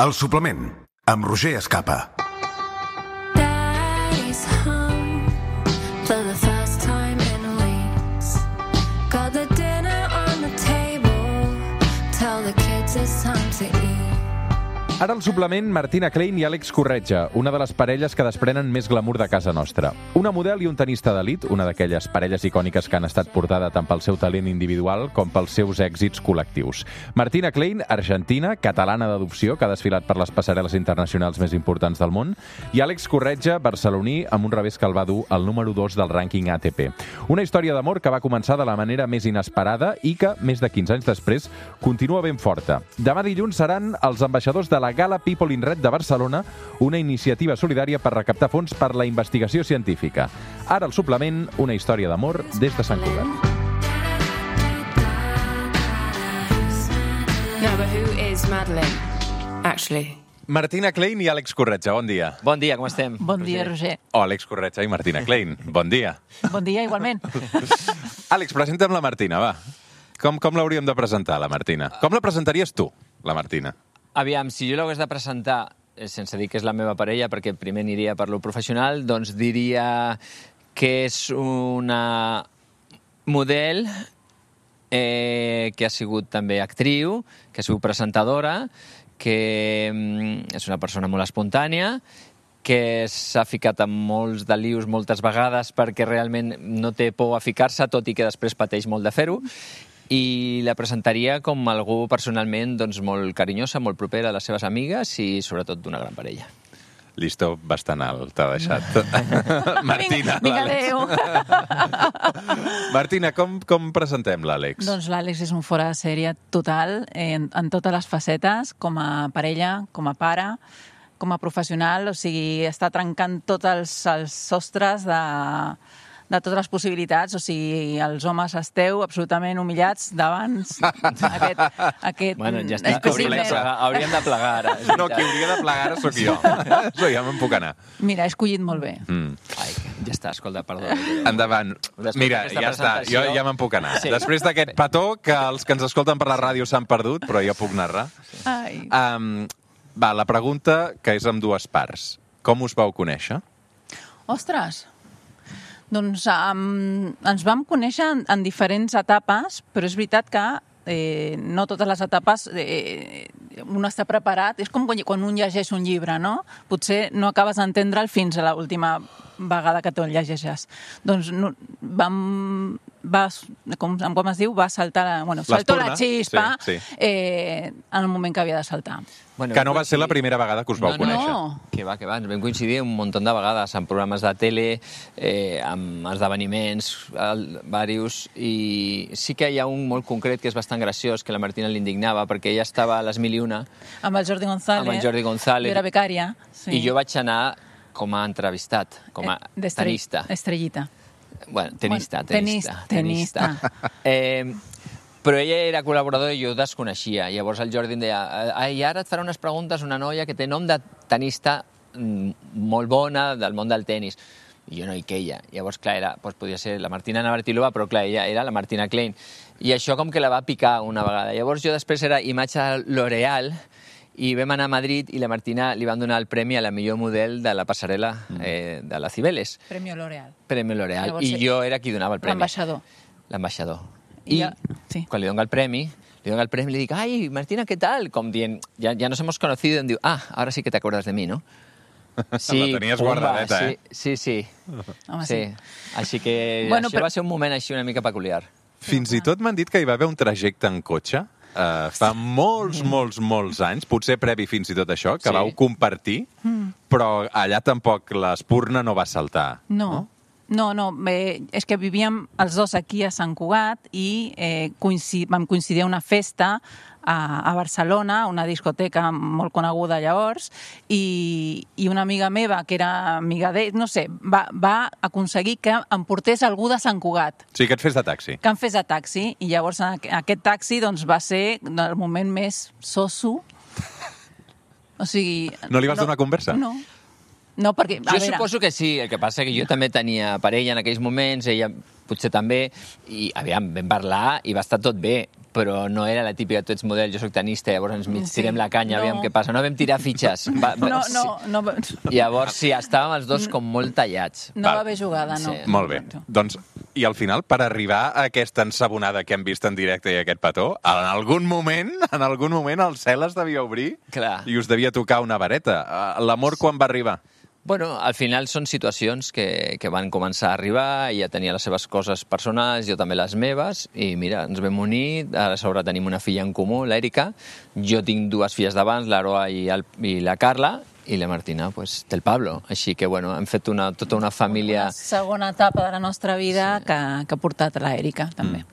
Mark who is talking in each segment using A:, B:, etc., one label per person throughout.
A: El suplement, amb Roger Escapa.
B: Daddy's home for the first time in weeks. Got the dinner on the table. Tell the kids it's time to eat.
C: Ara al suplement, Martina Klein i Àlex Corretja, una de les parelles que desprenen més glamour de casa nostra. Una model i un tenista d'elit, una d'aquelles parelles icòniques que han estat portada tant pel seu talent individual com pels seus èxits col·lectius. Martina Klein, argentina, catalana d'adopció, que ha desfilat per les passarel·les internacionals més importants del món, i Àlex Corretja, barceloní, amb un revés que el va dur al número 2 del rànquing ATP. Una història d'amor que va començar de la manera més inesperada i que, més de 15 anys després, continua ben forta. Demà dilluns seran els ambaixadors de la Gala People in Red de Barcelona, una iniciativa solidària per recaptar fons per la investigació científica. Ara al suplement, una història d'amor des de Sant Cugat.
B: Yeah, but who is Madeleine, actually?
C: Martina Klein i Àlex Corretja, bon dia.
D: Bon dia, com estem?
E: Bon dia, Roger.
C: O Àlex Corretja i Martina Klein, bon dia.
E: Bon dia, igualment.
C: Àlex, presenta'm la Martina, va. Com l'hauríem de presentar, la Martina? Com la presentaries tu, la Martina?
D: Aviam, si jo l'hagués de presentar, sense dir que és la meva parella, perquè primer aniria per lo professional, doncs diria que és una model que ha sigut també actriu, que ha sigut presentadora, que és una persona molt espontània, que s'ha ficat en molts de lius moltes vegades perquè realment no té por a ficar-se, tot i que després pateix molt de fer-ho, i la presentaria com algú personalment doncs, molt carinyosa, molt propera a les seves amigues i sobretot d'una gran parella.
C: Llistó bastant alt, t'ha deixat. Martina,
E: Vinga,
C: l'Àlex. Martina, com presentem l'Àlex?
E: Doncs l'Àlex és un fora de sèrie total, en totes les facetes, com a parella, com a pare, com a professional, o sigui, està trencant tots els sostres de totes les possibilitats, o sigui, els homes esteu absolutament humillats davant aquest
D: Bueno, ja està,
E: espècimen.
D: hauríem de plegar ara.
C: No, qui hauria de plegar ara sóc jo. Això ja me'n puc anar.
E: Mira, he escollit molt bé.
D: Ai, ja està, escolta, perdó.
C: Endavant.
D: Després
C: Mira,
D: d'aquesta
C: ja està, jo
D: presentació-
C: ja me'n puc anar.
D: Sí.
C: Després d'aquest petó, que els que ens escolten per la ràdio s'han perdut, però jo puc narrar.
E: Ai.
C: Va, la pregunta, que és amb dues parts. Com us vau conèixer?
E: Ostres! Doncs ens vam conèixer en diferents etapes, però és veritat que no totes les etapes un està preparat. És com quan un llegeix un llibre, no? Potser no acabes d'entendre'l fins a l'última vegada que te'l llegeixes. Doncs com es diu? Va saltar... Bueno, saltó la xispa en el moment que havia de saltar.
D: Bueno,
C: Que no va ser la primera vegada que us vau conèixer.
E: No.
D: Que va, ens vam coincidir un munt de vegades en programes de tele, amb esdeveniments, diversos, i sí que hi ha un molt concret que és bastant graciós, que la Martina l'indignava, perquè ella estava a les 1001
E: Amb el Jordi González.
D: amb el Jordi González.
E: Jo era becària. Sí.
D: I jo vaig anar com a entrevistat, com a tenista.
E: Estrellita.
D: Bueno, tenista. Però ella era col·laboradora i jo desconeixia. Llavors el Jordi em deia, ai, ara et farà unes preguntes una noia que té nom de tenista molt bona del món del tenis. I jo no hi queia. Llavors, clar, podia ser la Martina Navratilova, però clar, ella era la Martina Klein. I això com que la va picar una vegada. Llavors jo després era imatge L'Oreal i vam anar a Madrid i la Martina li van donar el premi a la millor model de la passarel·la de la Cibeles.
E: Premio L'Oreal.
D: Premi L'Oreal.
E: Llavors,
D: I jo era qui donava el premi.
E: L'ambaixador.
D: I
E: sí.
D: quan li dono el premi, li dic, ai, Martina, ¿qué tal? Com dient, ya nos hemos conocido, i em diu, ahora sí que te acuerdas de mí, ¿no? Sí,
C: La tenies guardadeta, eh?
D: Sí.
E: Home,
D: sí. Així que
E: Bueno,
D: això va ser un moment així una mica peculiar.
C: Fins i tot m'han dit que hi va haver un trajecte en cotxe fa molts anys, potser previ fins i tot això, que vau compartir, però allà tampoc l'espurna no va saltar.
E: No, és que vivíem els dos aquí a Sant Cugat i vam coincidir a una festa a Barcelona, una discoteca molt coneguda llavors, i una amiga meva, que era amiga d'ell, no sé, va aconseguir que em portés algú de Sant Cugat.
C: Sí, que et fes de taxi.
E: Que em fes de taxi, i llavors aquest taxi doncs, va ser el moment més soso. O sigui...
C: No li vas donar conversa?
E: No, perquè...
D: Jo suposo que sí, el que passa que jo també tenia parella en aquells moments, ella potser també, i aviam, vam parlar i va estar tot bé, però no era la típica, tu ets model, jo soc tenista, llavors ens mig tirem la canya, aviam què passa. No vam tirar fitxes.
E: No.
D: Llavors, sí, estàvem els dos com molt tallats.
E: No va haver jugada, no.
D: Sí.
C: Molt bé. Doncs, i al final, per arribar a aquesta ensabonada que hem vist en directe i aquest petó, en algun moment el cel es devia obrir.
D: Clar.
C: I us devia tocar una vareta. L'amor quan va arribar?
D: Bueno, al final són situacions que van començar a arribar, ella tenia les seves coses personals, jo també les meves, i mira, ens vam unir, a sobre tenim una filla en comú, l'Èrica, jo tinc dues filles d'abans, l'Aroa i la Carla, i la Martina pues, té el Pablo. Així que bueno, hem fet tota una família...
E: Una segona etapa de la nostra vida que ha portat l'Èrica, també.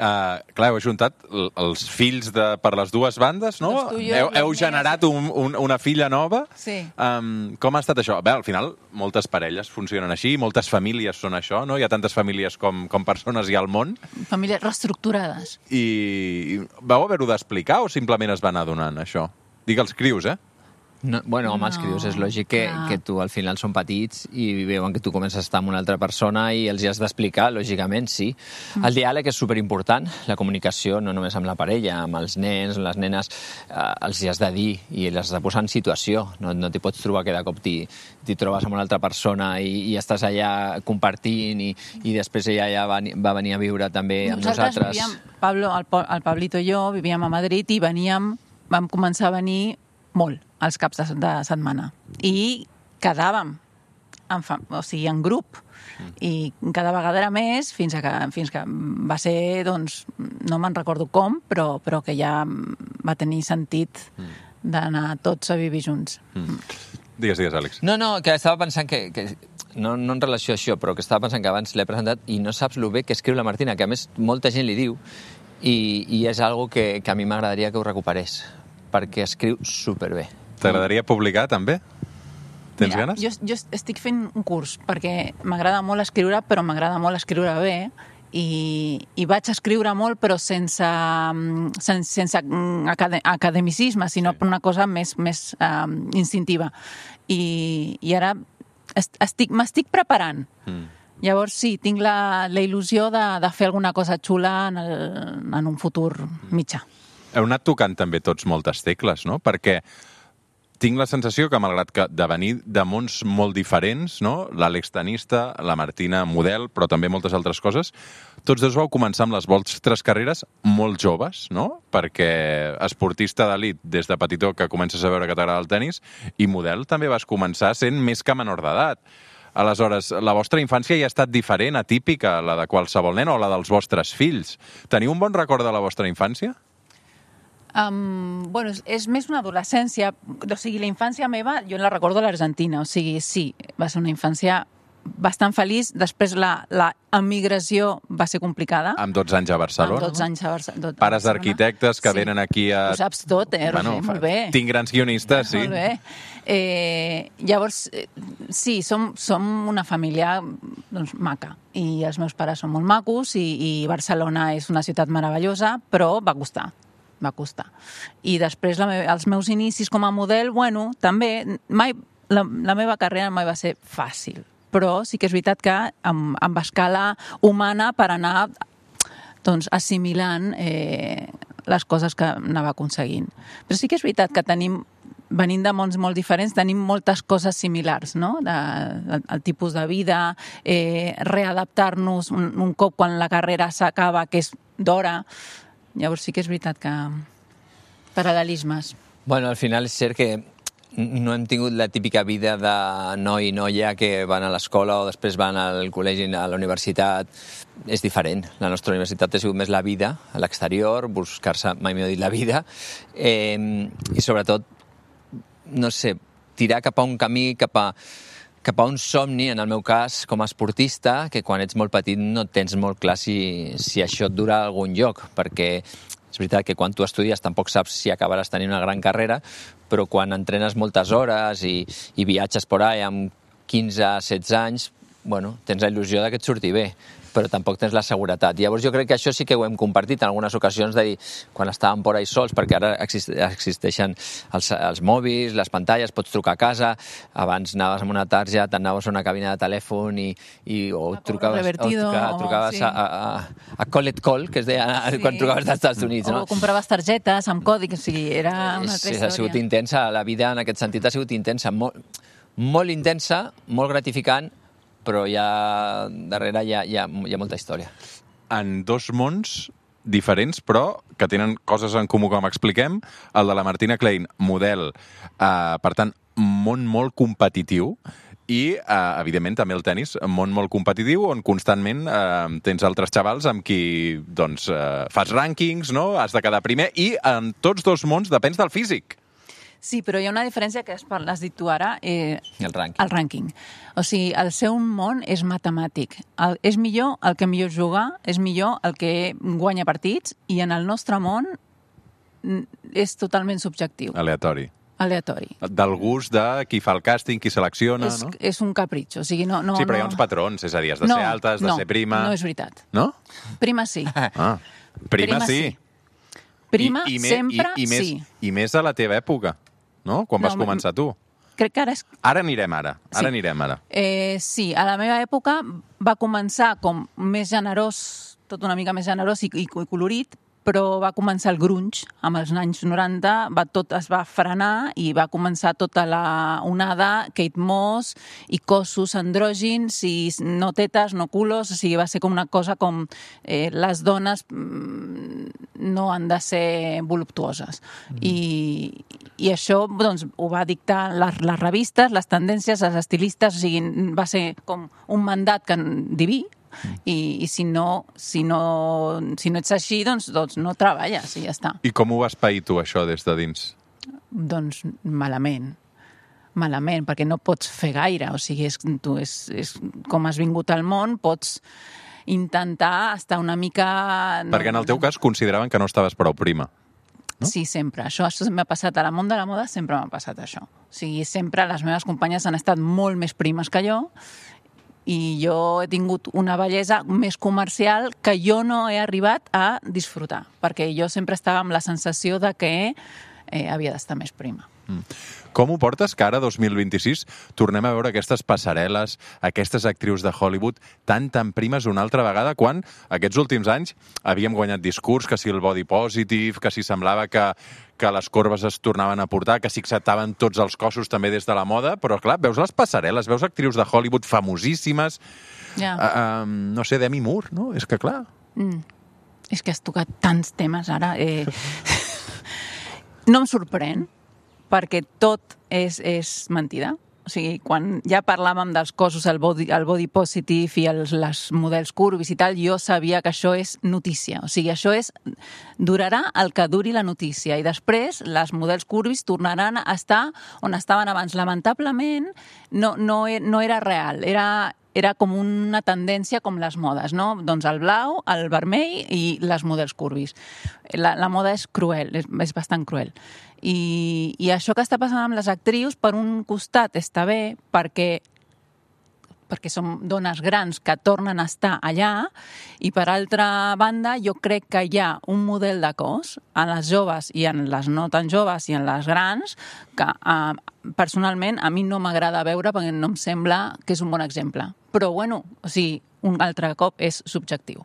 C: Clar, heu ajuntat els fills per les dues bandes, no? Heu generat una filla nova.
E: Sí.
C: Com ha estat això? Bé, al final, moltes parelles funcionen així, moltes famílies són això, no? Hi ha tantes famílies com persones hi ha al món.
E: Famílies reestructurades.
C: I vau haver-ho d'explicar o simplement es van adonant, això? Dic els crius, eh?
D: No, bueno, home, els crios, és lògic que tu al final són petits i veuen que tu comences a estar amb una altra persona i els hi has d'explicar, lògicament, sí. El diàleg és superimportant, la comunicació, no només amb la parella, amb els nens, les nenes, els hi has de dir i les has de posar en situació. No t'hi pots trobar que de cop t'hi trobes amb una altra persona i estàs allà compartint i després ella ja va venir a viure també amb nosaltres.
E: Vivíem, Pablo, el Pablito i jo vivíem a Madrid i vam començar a venir molt als caps de setmana. I quedàvem en grup. I cada vegada era més fins que va ser, doncs, no me'n recordo com, però que ja va tenir sentit d'anar tots a vivir junts.
C: Digues, Àlex.
D: No, que estava pensant que no en relació a això, però que estava pensant que abans l'he presentat i no saps lo bé que escriu la Martina, que a més molta gent li diu, i és algo que a mi m'agradaria que ho recuperés, perquè escriu superbé.
C: T'agradaria publicar, també? Tens ganes?
E: Jo estic fent un curs, perquè m'agrada molt escriure, però m'agrada molt escriure bé, i vaig escriure molt, però sense academicisme, sinó per una cosa més instintiva. I ara m'estic preparant. Llavors, sí, tinc la il·lusió de fer alguna cosa xula en un futur mitjà.
C: Heu anat tocant també tots moltes tecles, no? Perquè tinc la sensació que, malgrat que de venir de mons molt diferents, no? L'Àlex tenista, la Martina model, però també moltes altres coses, tots dos vau començar amb les vostres carreres molt joves, no? Perquè esportista d'elit des de petitó que comences a veure que t'agrada el tenis, i model també vas començar sent més que menor d'edat. Aleshores, la vostra infància ja ha estat diferent, atípica, la de qualsevol nen o la dels vostres fills. Teniu un bon record de la vostra infància?
E: Bueno, és més una adolescència. O sigui, la infància meva, jo la recordo a l'Argentina. O sigui, sí, va ser una infància bastant feliç. Després la emigració va ser complicada.
C: Amb 12 anys a Barcelona.
E: Amb 12 anys a Barcelona.
C: Pares d'arquitectes que venen aquí a...
E: Ho saps tot, Roger? Molt bé.
C: Tinc grans guionistes, sí.
E: Molt bé. Llavors, sí, som una família doncs, maca. I els meus pares són molt macos i Barcelona és una ciutat meravellosa, però va costar. I després els meus inicis com a model, bueno, també la meva carrera mai va ser fàcil, però sí que és veritat que amb escala humana per anar doncs, assimilant les coses que anava aconseguint. Però sí que és veritat que venint de mons molt diferents, tenim moltes coses similars, no? El tipus de vida, readaptar-nos un cop quan la carrera s'acaba, que és d'hora. Llavors sí que és veritat que paral·lelismes.
D: Bueno, al final és cert que no hem tingut la típica vida de noi i noia que van a l'escola o després van al col·legi, a la universitat. És diferent. La nostra universitat ha sigut més la vida, a l'exterior, buscar-se, mai millor dit, la vida. I sobretot, no sé, tirar cap a un camí, cap a un somni, en el meu cas, com a esportista, que quan ets molt petit no tens molt clar si això et dura a algun lloc, perquè és veritat que quan tu estudies tampoc saps si acabaràs tenint una gran carrera, però quan entrenes moltes hores i viatges por ahí amb 15-16 anys, bueno, tens la il·lusió que et surti bé. però tampoc tens la seguretat. Llavors jo crec que això sí que ho hem compartit en algunes ocasions, de dir, quan estàvem por ahí sols, perquè ara existeixen els mòbils, les pantalles, pots trucar a casa, abans anaves amb una targeta, anaves a una cabina de telèfon o trucaves a Call It Call, que es deia quan trucaves dels Estats Units.
E: O compraves targetes amb còdic, o sigui, era una altra història.
D: Ha sigut intensa, la vida en aquest sentit ha sigut intensa, molt intensa, molt gratificant, però darrere hi ha molta història.
C: En dos mons diferents, però que tenen coses en comú, com expliquem. El de la Martina Klein, model, per tant, món molt competitiu, i, evidentment, també el tenis, un món molt competitiu, on constantment tens altres xavals amb qui fas rànquings, no? Has de quedar primer, i en tots dos mons depens del físic.
E: Sí, però hi ha una diferència que has dit tu ara.
D: El
E: rànquing. O sigui, el seu món és matemàtic. És millor el que millor juga, és millor el que guanya partits, i en el nostre món és totalment subjectiu.
C: Aleatori. Del gust de qui fa el càsting, qui selecciona, no? És
E: un capritxo. O sigui, no,
C: sí, però hi ha uns patrons, és a dir, has de ser alta, has de ser prima...
E: No és veritat.
C: No?
E: Prima sí.
C: Prima sí.
E: Prima sempre sí.
C: I més a la teva època, no? Quan vas començar tu.
E: Crec que ara és...
C: Ara anirem ara.
E: Sí, a la meva època va començar com més generós, tot una mica més generós i colorit, però va començar el grunge amb els anys 90, tot es va frenar i va començar tota la onada, Kate Moss i cossos andrògins i no tetes, no culos, o sigui, va ser com una cosa com les dones no han de ser voluptuoses. I això doncs, ho va dictar les revistes, les tendències, els estilistes, o sigui, va ser com un mandat diví, i si no ets així, doncs no treballes i ja està.
C: I com ho vas pair tu, això, des de dins?
E: Doncs malament, perquè no pots fer gaire, o sigui, és com has vingut al món, pots intentar estar una mica...
C: Perquè en el teu cas consideraven que no estaves prou prima. No?
E: Sí, sempre. Això m'ha passat a la món de la moda, sempre m'ha passat això. O sigui, sempre les meves companyes han estat molt més primes que jo, i jo he tingut una bellesa més comercial que jo no he arribat a disfrutar, perquè jo sempre estava amb la sensació de que havia d'estar més prima.
C: Com ho portes que ara, 2026, tornem a veure aquestes passarel·les, aquestes actrius de Hollywood tan primes una altra vegada, quan aquests últims anys havíem guanyat discurs, que si el body positive, que si semblava que les corbes es tornaven a portar, que si acceptaven tots els cossos també des de la moda, però clar, veus les passarel·les, veus actrius de Hollywood famosíssimes, no sé, Demi Moore, no? És que clar...
E: És que has tocat tants temes ara. No em sorprèn, perquè tot és mentida. O sigui, quan ja parlàvem dels cossos, el body positive i els models curvis i tal, jo sabia que això és notícia. O sigui, això durarà el que duri la notícia. I després, les models curvis tornaran a estar on estaven abans. Lamentablement, no era real. Era com una tendència com les modes, no? Doncs el blau, el vermell i les models curvis. La moda és cruel, és bastant cruel. I això que està passant amb les actrius, per un costat està bé, perquè són dones grans que tornen a estar allà, i per altra banda jo crec que hi ha un model de cos en les joves i en les no tan joves i en les grans que personalment a mi no m'agrada veure perquè no em sembla que és un bon exemple. Però bueno, o sigui, un altre cop és subjectiu.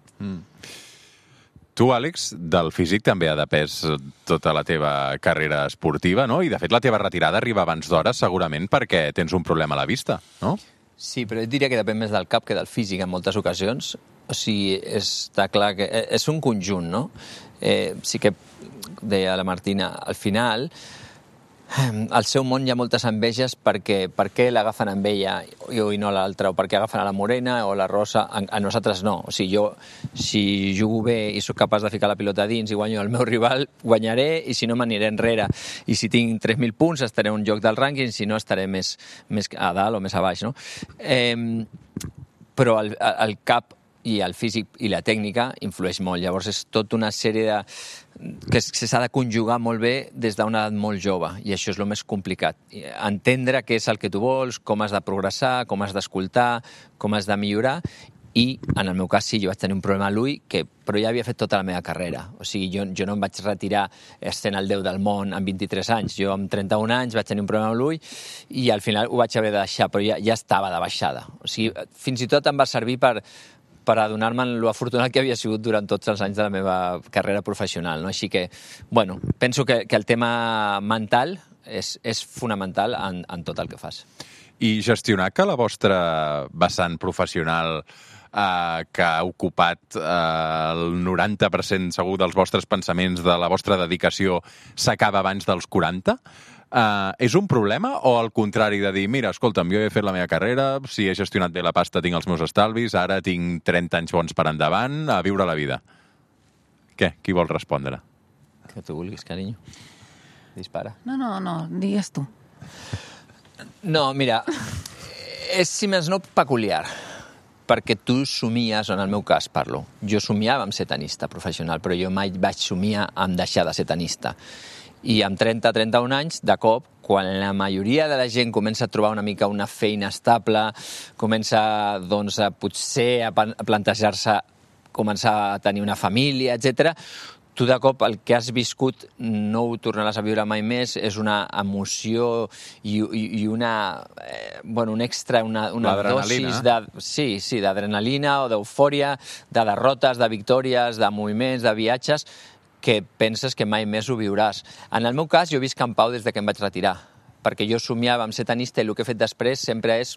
C: Tu, Àlex, del físic també ha depès tota la teva carrera esportiva, no? I, de fet, la teva retirada arriba abans d'hora, segurament perquè tens un problema a la vista, no?
D: Sí, però jo diria que depèn més del cap que del físic en moltes ocasions. O sigui, està clar que és un conjunt, no? Sí que deia la Martina, al final, al seu món hi ha moltes enveges perquè per què l'agafen amb ella i no a l'altra, o per què agafen a la morena o la rosa, a nosaltres no. O sigui, jo, si jugo bé i sóc capaç de ficar la pilota dins i guanyo el meu rival, guanyaré, i si no m'aniré enrere. I si tinc 3.000 punts estaré en un lloc del rànquing, si no estaré més a dalt o més a baix, no? Però el cap i el físic i la tècnica influeix molt. Llavors és tota una sèrie que s'ha de conjugar molt bé des d'una edat molt jove, i això és el més complicat. Entendre què és el que tu vols, com has de progressar, com has d'escoltar, com has de millorar, I, en el meu cas, sí, jo vaig tenir un problema a l'ull, però ja havia fet tota la meva carrera. O sigui, jo no em vaig retirar sent el déu del món amb 23 anys. Jo, amb 31 anys, vaig tenir un problema a l'ull i al final ho vaig haver de deixar, però ja estava de baixada. O sigui, fins i tot em va servir per adonar-me lo afortunat que havia sigut durant tots els anys de la meva carrera professional. No? Així que, bueno, penso que el tema mental és fonamental en tot el que fas.
C: I gestionar que la vostra vessant professional que ha ocupat el 90% segur dels vostres pensaments, de la vostra dedicació, s'acaba abans dels 40? És un problema o al contrari de dir, mira, escolta'm, jo he fet la meva carrera, si he gestionat bé la pasta tinc els meus estalvis, ara tinc 30 anys bons per endavant, a viure la vida? Què? Qui vol respondre?
D: Que tu vulguis, carinyo. Dispara.
E: No, digues tu.
D: No, mira, és, si més no, peculiar, perquè tu somies, en el meu cas parlo, jo somiava amb ser tenista professional, però jo mai vaig somiar amb deixar de ser tenista. I amb 30-31 anys, de cop, quan la majoria de la gent comença a trobar una mica una feina estable, comença, doncs, potser a plantejar-se començar a tenir una família, etc., tu de cop el que has viscut no ho tornaràs a viure mai més, és una emoció i una, un extra, una dosis d'adrenalina o d'eufòria, de derrotes, de victòries, de moviments, de viatges, que penses que mai més ho viuràs. En el meu cas, jo visc en pau des que em vaig retirar, perquè jo somiava amb ser tenista i el que he fet després sempre és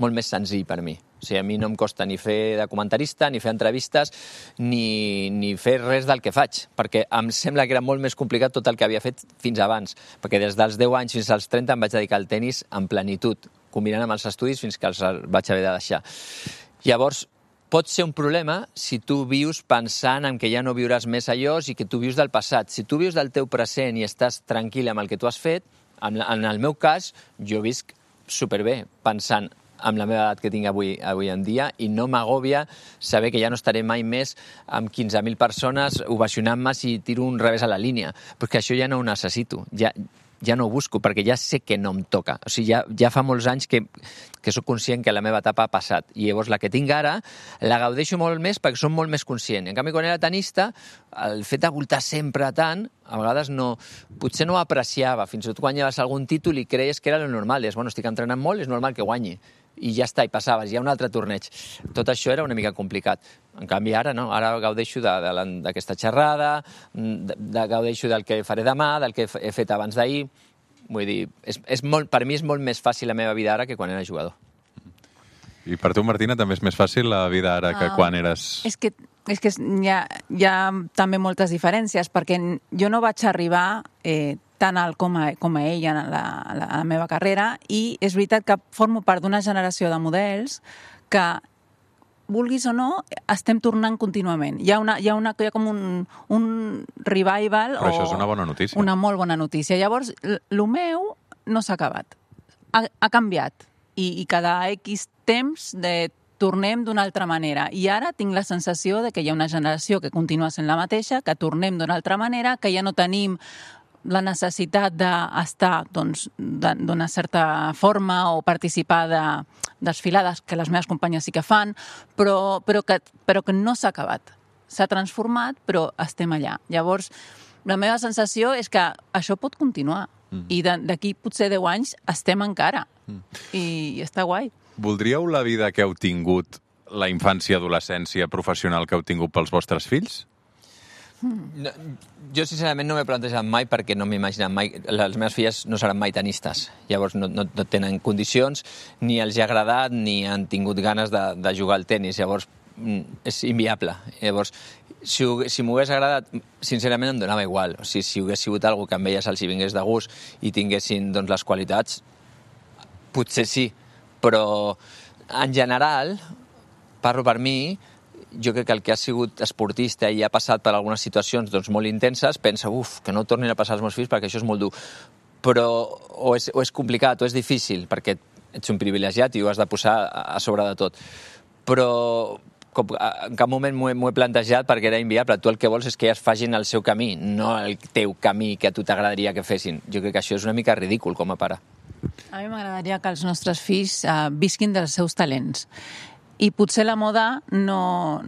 D: molt més senzill per mi. O sigui, a mi no em costa ni fer de comentarista, ni fer entrevistes, ni fer res del que faig, perquè em sembla que era molt més complicat tot el que havia fet fins abans, perquè des dels 10 anys fins als 30 em vaig dedicar al tenis en plenitud, combinant amb els estudis fins que els vaig haver de deixar. Llavors, pot ser un problema si tu vius pensant en que ja no viuràs més allò i que tu vius del passat. Si tu vius del teu present i estàs tranquil amb el que tu has fet, en el meu cas, jo visc superbé, pensant amb la meva edat que tinc avui en dia i no m'agòbia saber que ja no estaré mai més amb 15.000 persones ovacionant-me si tiro un revés a la línia, perquè això ja no ho necessito, ja no ho busco, perquè ja sé que no em toca. O sigui, ja fa molts anys que soc conscient que la meva etapa ha passat. I llavors la que tinc ara la gaudeixo molt més perquè soc molt més conscient. En canvi, quan era tenista, el fet de voltar sempre tant, a vegades potser no ho apreciava. Fins i tot guanyaves algun títol i creies que era lo normal. Deies, estic entrenant molt, és normal que guanyi. I ja està, i passaves, hi ha un altre torneig. Tot això era una mica complicat. En canvi, ara no, ara gaudeixo d'aquesta xerrada, gaudeixo del que faré demà, del que he fet abans d'ahir. Vull dir, per mi és molt més fàcil la meva vida ara que quan era jugador.
C: I per tu, Martina, també és més fàcil la vida ara que quan eres...
E: És que hi ha també moltes diferències, perquè jo no vaig arribar tan alt com a ella en la meva carrera, i és veritat que formo part d'una generació de models que, vulguis o no, estem tornant contínuament. Hi ha com un revival.
C: Però això és una bona notícia.
E: Una molt bona notícia. Llavors, el meu no s'ha acabat. Ha canviat. I cada X temps tornem d'una altra manera. I ara tinc la sensació de que hi ha una generació que continua sent la mateixa, que tornem d'una altra manera, que ja no tenim la necessitat d'estar d'una certa forma o participar de desfilades que les meves companyes sí que fan, però que no s'ha acabat. S'ha transformat, però estem allà. Llavors, la meva sensació és que això pot continuar. I d'aquí potser 10 anys estem encara. I està guai.
C: Voldríeu la vida que heu tingut, la infància, adolescència, professional que heu tingut pels vostres fills?
D: No, jo, sincerament, no m'he plantejat mai perquè no m'he imaginat mai... Les meves filles no seran mai tenistes. Llavors, no tenen condicions, ni els ha agradat, ni han tingut ganes de jugar al tenis. Llavors, és inviable. Llavors, si m'ho hagués agradat, sincerament em donava igual. O sigui, si hagués sigut alguna que amb elles els hi vingués de gust i tinguessin les qualitats, potser sí. Però, en general, parlo per mi, jo crec que el que ha sigut esportista i ha passat per algunes situacions molt intenses, pensa, que no tornin a passar als meus fills perquè això és molt dur. Però o és complicat o és difícil, perquè ets un privilegiat i ho has de posar a sobre de tot. Però en cap moment m'ho he plantejat perquè era inviable. Tu el que vols és que ells facin el seu camí, no el teu camí que a tu t'agradaria que fessin. Jo crec que això és una mica ridícul com a pare.
E: A mi m'agradaria que els nostres fills visquin dels seus talents. i potser la moda no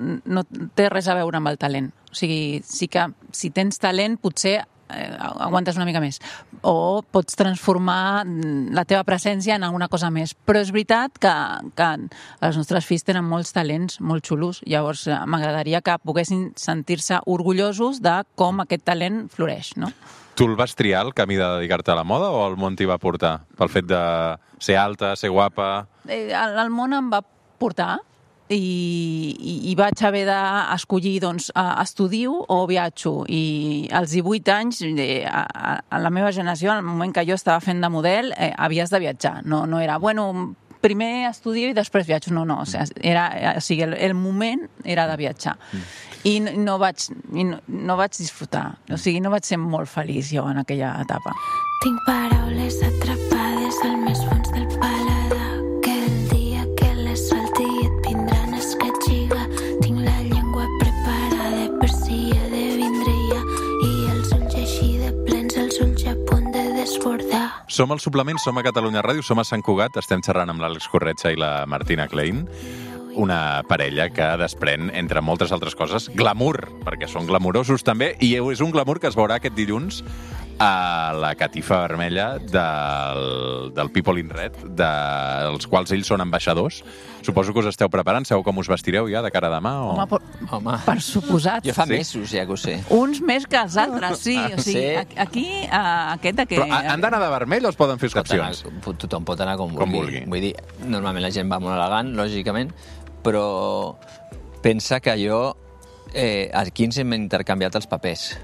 E: té res a veure amb el talent. O sigui, sí que si tens talent potser aguantes una mica més o pots transformar la teva presència en alguna cosa més, però és veritat que els nostres fills tenen molts talents molt xulos, llavors m'agradaria que poguessin sentir-se orgullosos de com aquest talent floreix, no?
C: Tu el vas triar, el camí de dedicar-te a la moda, o el món t'hi va portar? Pel fet de ser alta, ser guapa...
E: El món em va portar i vaig haver d'escollir, doncs, estudio o viatjo. I als 18 anys, a la meva generació, al moment que jo estava fent de model, havies de viatjar. No era, bueno, primer estudio i després viatjo. No. O sigui, el moment era de viatjar. I no vaig disfrutar. O sigui, no vaig ser molt feliç jo en aquella etapa.
B: Tinc paraules atrapades al més fons del paladar, que el dia que les solti et vindran escatxiga. Tinc la llengua preparada per si he de vindre ja, i els ulls així de plens, els ulls a punt de desbordar.
C: Som al Suplement, som a Catalunya Ràdio, som a Sant Cugat, estem xerrant amb l'Àlex Corretja i la Martina Klein, una parella que desprèn, entre moltes altres coses, glamour, perquè són glamurosos també, i és un glamour que es veurà aquest dilluns a la catifa vermella del People in Red, dels quals ells són ambaixadors. Suposo que us esteu preparant, sabeu com us vestireu ja de cara a demà? O...
D: Home,
E: per suposat.
D: jo fa mesos ja que ho sé.
E: Uns més que els altres, sí. O sigui, aquí, aquest...
C: Però han d'anar de vermell o es poden fer excepcions?
D: Tothom pot anar com vulgui. Vull dir, normalment la gent va molt elegant, lògicament, però pensa que jo aquí ens hem intercanviat els papers.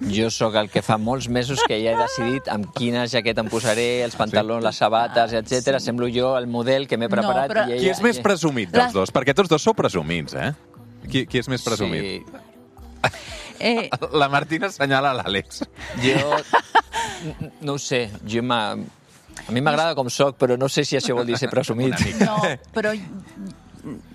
D: Jo sóc el que fa molts mesos que ja he decidit amb quina jaqueta em posaré, els pantalons, les sabates, etc. Semblo jo el model que m'he preparat.
E: però...
C: Qui és més presumit dels dos? Perquè tots dos sou presumits, eh? Qui és més presumit? Sí. La Martina assenyala l'Àlex.
D: Jo no ho sé. A mi m'agrada com soc, però no sé si això vol dir ser presumit.
E: No, però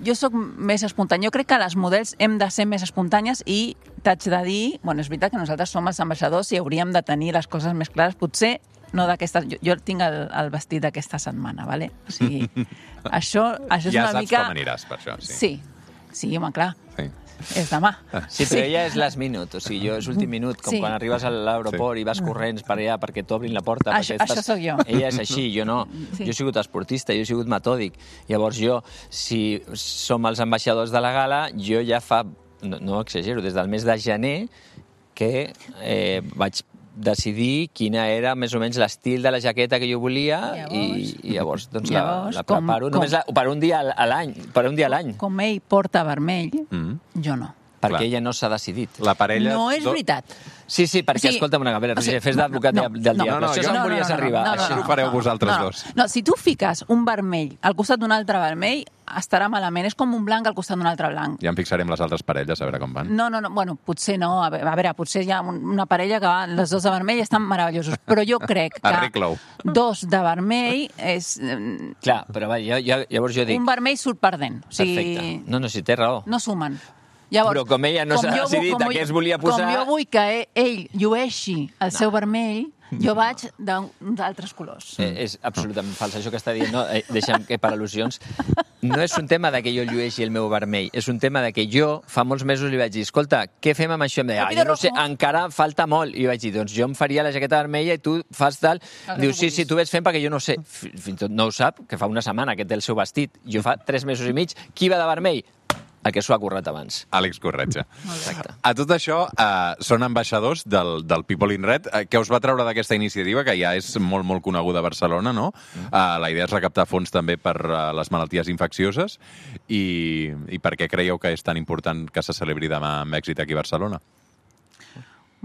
E: jo sóc més espontània. Jo crec que les models hem de ser més espontànies i t'haig de dir... Bueno, és veritat que nosaltres som els ambaixadors i hauríem de tenir les coses més clares. Potser no d'aquesta... Jo tinc el vestit d'aquesta setmana, ¿vale? O sigui, això és
C: ja
E: una mica...
C: Ja saps com aniràs per això, sí.
E: Sí, home, clar.
C: Sí.
E: És demà.
D: Sí, però ella és last minute, o sigui, jo és últim minut, com quan arribes a l'aeroport i vas corrents per allà perquè t'obrin la porta.
E: Això sóc jo.
D: Ella és així, jo no. Jo he sigut esportista, jo he sigut metòdic. Llavors jo, si som els ambaixadors de la gala, jo ja fa, no exagero, des del mes de gener que vaig decidir quina era més o menys l'estil de la jaqueta que jo volia i llavors doncs la preparo només per un dia a l'any.
E: Com ell porta vermell, jo no.
D: Perquè ella no s'ha decidit.
C: La parella...
E: No és veritat.
D: Sí, perquè, escolta'm una cosa, Roger, fes d'advocat del diable. Això és on volies arribar.
C: Això ho fareu vosaltres dos.
E: No, si tu fiques un vermell al costat d'un altre vermell, estarà malament. És com un blanc al costat d'un altre blanc.
C: Ja en fixarem les altres parelles, a veure com van.
E: No, bueno, potser no. A veure, potser hi ha una parella que va, les dos de vermell estan meravellosos, però jo crec que dos de vermell és...
D: Clar, però llavors jo dic...
E: Un vermell surt perdent.
D: Perfecte. No, si té raó.
E: No sumen. Llavors,
D: però com ella no s'ha decidit a què es volia posar...
E: Com jo vull que ell llueixi el seu vermell, jo vaig d'altres colors.
D: És absolutament fals, això que està dient. No, deixa'm que per al·lusions... No és un tema de que jo llueixi el meu vermell, és un tema de que jo fa molts mesos li vaig dir, escolta, què fem amb això? Em deia, jo no sé, encara falta molt. I vaig dir, doncs jo em faria la jaqueta vermella i tu fas tal. Diu, sí, tu ves fent perquè jo no sé. Fins i tot no ho sap, que fa una setmana que té el seu vestit. Jo fa 3 mesos i mig. Qui va de vermell? El que s'ho ha currat abans.
C: Àlex Corretja.
D: Exacte.
C: A tot això, són ambaixadors del People in Red. Què us va treure d'aquesta iniciativa, que ja és molt, molt coneguda a Barcelona, no? La idea és recaptar fons també per les malalties infeccioses. I per què creieu que és tan important que se celebri demà amb èxit aquí a Barcelona?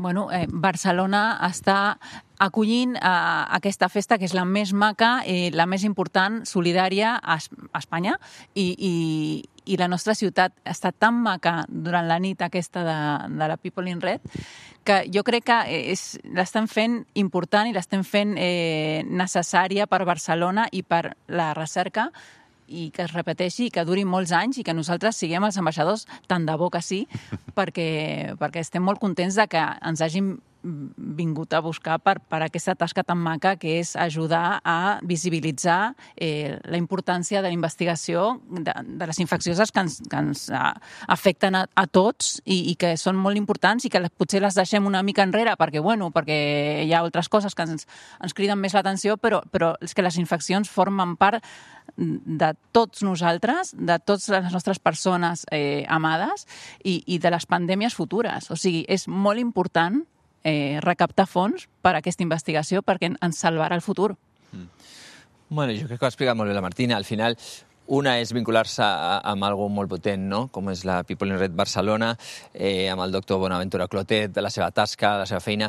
E: Bueno, Barcelona està acollint aquesta festa, que és la més maca, la més important, solidària a Espanya, i la nostra ciutat està tan maca durant la nit aquesta de la People in Red que jo crec que l'estem fent important i l'estem fent necessària per Barcelona i per la recerca, i que es repeteixi i que duri molts anys i que nosaltres siguem els ambaixadors, tant de bo que sí, perquè estem molt contents de que ens hagin vingut a buscar per aquesta tasca tan maca que és ajudar a visibilitzar la importància de la investigació de les infeccioses que ens afecten a tots i que són molt importants i que potser les deixem una mica enrere perquè hi ha altres coses que ens criden més l'atenció, però és que les infeccions formen part de tots nosaltres, de totes les nostres persones amades i de les pandèmies futures. O sigui, és molt important recaptar fons per a aquesta investigació perquè ens salvarà el futur.
D: Bueno, jo crec que ho ha explicat molt bé la Martina. Al final, una és vincular-se amb algo molt potent, no? Com és la People in Red Barcelona, amb el doctor Bonaventura Clotet, de la seva tasca, de la seva feina.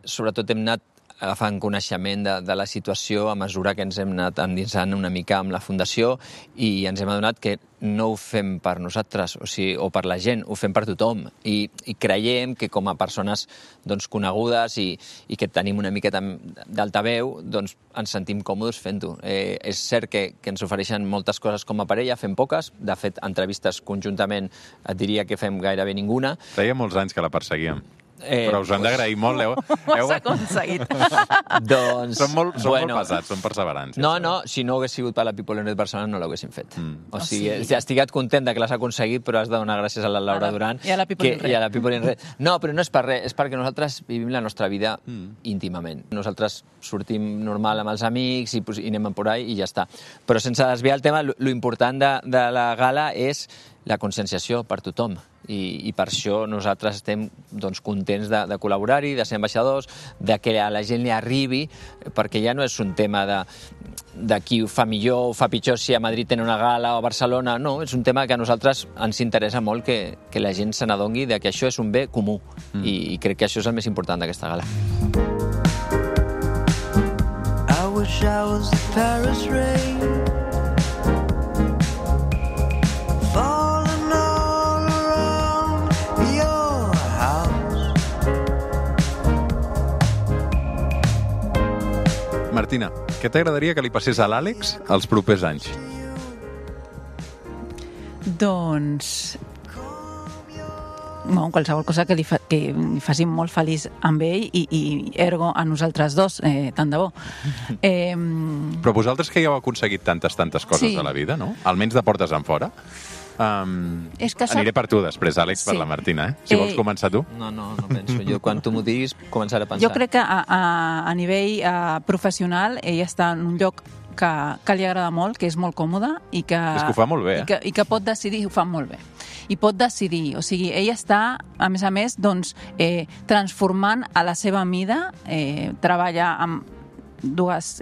D: Sobretot hem anat agafant coneixement de la situació a mesura que ens hem anat endinsant una mica amb la Fundació i ens hem adonat que no ho fem per nosaltres o per la gent, ho fem per tothom. I creiem que com a persones conegudes i que tenim una miqueta d'altaveu, ens sentim còmodes fent-ho. És cert que ens ofereixen moltes coses com a parella, fem poques. De fet, entrevistes conjuntament et diria que fem gairebé ninguna.
C: Feia molts anys que la perseguíem. Però us ho hem d'agrair molt.
E: Ho has aconseguit.
C: Són molt pesats, són perseverants.
D: No, si no hagués sigut per la People in Red Barcelona no l'haguessin fet. O sigui, estic content que l'has aconseguit, però has de donar gràcies a la Laura Duran
E: i a la People
D: in Red. No, però no és per res, és perquè nosaltres vivim la nostra vida íntimament. Nosaltres sortim normal amb els amics i anem por ahí i ja està. Però sense desviar el tema, lo important de la gala és la conscienciació per tothom. I per això nosaltres estem contents de col·laborar-hi, de ser ambaixadors, de que a la gent li arribi, perquè ja no és un tema de qui ho fa millor o fa pitjor, si a Madrid tenen una gala o a Barcelona, no, és un tema que a nosaltres ens interessa molt que la gent se n'adongui que això és un bé comú i crec que això és el més important d'aquesta gala.
F: I wish I was the Paris rain.
C: Martina, què t'agradaria que li passés a l'Àlex els propers anys?
E: Doncs qualsevol cosa que li faci molt feliç amb ell i ergo a nosaltres dos, tant de bo.
C: Però vosaltres que ja heu aconseguit tantes coses a la vida, no? Almenys de portes en fora. Aniré per tu després, Àlex, per la Martina. Si vols començar tu.
D: No penso. Jo, quan tu m'ho diguis, començaré a pensar.
E: Jo crec que a nivell professional ell està en un lloc que li agrada molt, que és molt còmode i que...
C: És que ho fa molt bé,
E: I que pot decidir, ho fa molt bé. I pot decidir, o sigui, ell està, a més, transformant a la seva mida, treballa amb dues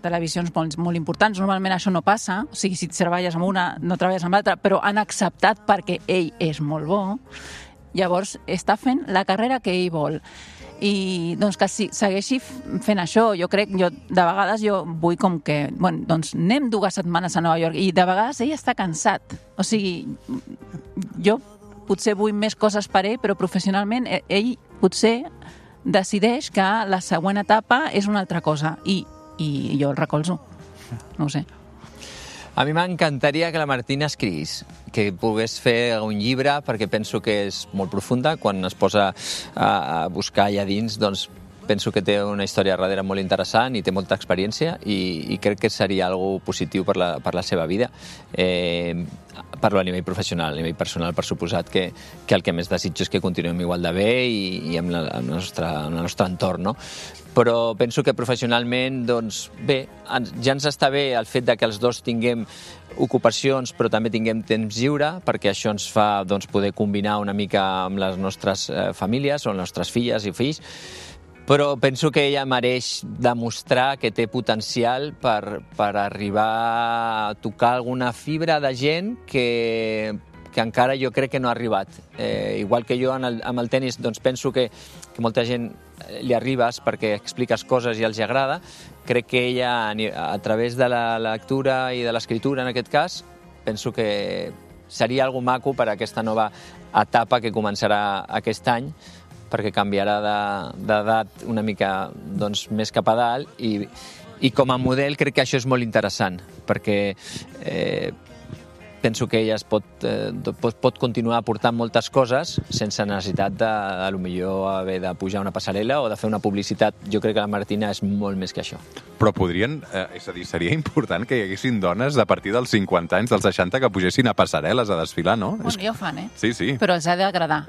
E: televisions molt importants. Normalment això no passa, o sigui, si treballes amb una, no treballes amb l'altra, però han acceptat perquè ell és molt bo. Llavors, està fent la carrera que ell vol. I que segueixi fent això. De vegades vull com que, anem 2 setmanes a Nova York i de vegades ell està cansat. O sigui, jo potser vull més coses per ell, però professionalment ell potser decideix que la següent etapa és una altra cosa i jo el recolzo. No ho sé.
D: A mi m'encantaria que la Martina escrivís, que pogués fer un llibre, perquè penso que és molt profunda. Quan es posa a buscar allà dins, penso que té una història darrere molt interessant i té molta experiència i crec que seria algo positiu per la seva vida. Parlo a nivell professional, a nivell personal, per suposat que el que més desitjo és que continuem igual de bé i amb el nostre entorn, no? Però penso que professionalment, ja ens està bé el fet que els dos tinguem ocupacions però també tinguem temps lliure, perquè això ens fa poder combinar una mica amb les nostres famílies o les nostres filles i fills. Però penso que ella mereix demostrar que té potencial per arribar a tocar alguna fibra de gent que encara jo crec que no ha arribat. Igual que jo amb el tenis penso que molta gent li arribes perquè expliques coses i els agrada. Crec que ella, a través de la lectura i de l'escriptura, en aquest cas, penso que seria algo maco per a aquesta nova etapa que començarà aquest any, perquè canviarà d'edat una mica més cap a dalt i com a model crec que això és molt interessant, perquè penso que ella pot continuar aportant moltes coses sense necessitat de potser haver de pujar una passarel·la o de fer una publicitat. Jo crec que la Martina és molt més que això.
C: Però podrien, és a dir, seria important que hi haguessin dones a partir dels 50 anys, dels 60, que pugessin a passarel·les a desfilar, no?
E: Bueno, ja ho fan,
C: Sí, sí.
E: Però els ha d'agradar.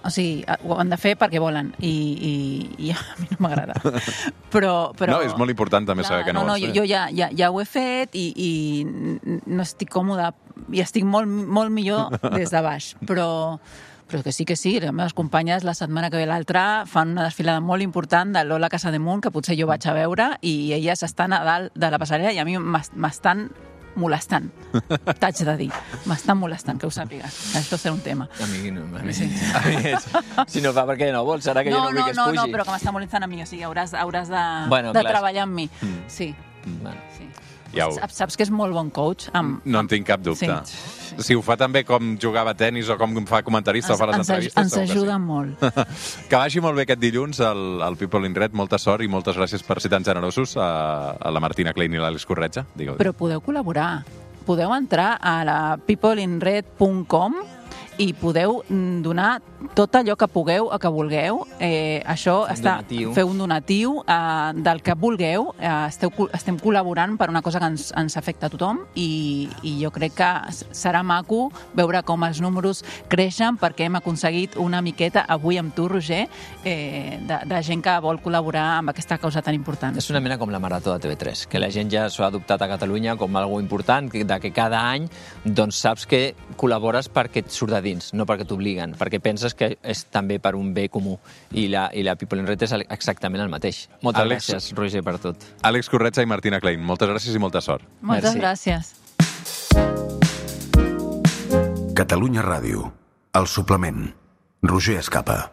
E: O sigui, ho han de fer perquè volen i a mi no m'agrada. Però...
C: No, és molt important també saber que no vols fer.
E: Jo ja ho he fet i no estic còmoda i estic molt millor des de baix. Però que sí, les meves companyes la setmana que ve l'altra fan una desfilada molt important de Lola Casademunt, que potser jo vaig a veure, i elles estan a dalt de la passarel·la i a mi m'estan molestant, t'haig de dir. M'estan molestant, que ho sàpigues. Això serà un tema.
D: A mi no. Si no fa perquè no vols, serà que jo no vull que es pugi.
E: No, però que m'està molestant a mi. O sigui, hauràs
D: Bueno,
E: de treballar amb mi. Sí.
D: Sí.
E: Saps que és molt bon coach?
C: No en tinc cap dubte.
E: Sí.
C: Si ho fa també com jugava a tenis o com fa comentarista o fa les entrevistes...
E: Ens ajuda molt.
C: Que vagi molt bé aquest dilluns al People in Red. Molta sort i moltes gràcies per ser tan generosos a la Martina Klein i l'Àlex Corretja.
E: Però podeu col·laborar. Podeu entrar a la peopleinred.com i podeu donar tot allò que pugueu o que vulgueu. Això feu un donatiu del que vulgueu. Estem col·laborant per una cosa que ens afecta a tothom i jo crec que serà maco veure com els números creixen perquè hem aconseguit una miqueta avui amb tu, Roger, de gent que vol col·laborar amb aquesta causa tan important.
D: És una mena com la Marató de TV3, que la gent ja s'ho ha adoptat a Catalunya com algo important, que cada any doncs saps que col·labores perquè et surt de dins, no perquè t'obliguen, perquè penses que és també per un bé comú. I la People in Red és exactament el mateix. Moltes gràcies, Roger, per tot.
C: Àlex Corretja i Martina Klein, moltes gràcies i molta sort.
E: Moltes gràcies.
A: Catalunya Ràdio. El suplement. Roger Escapa.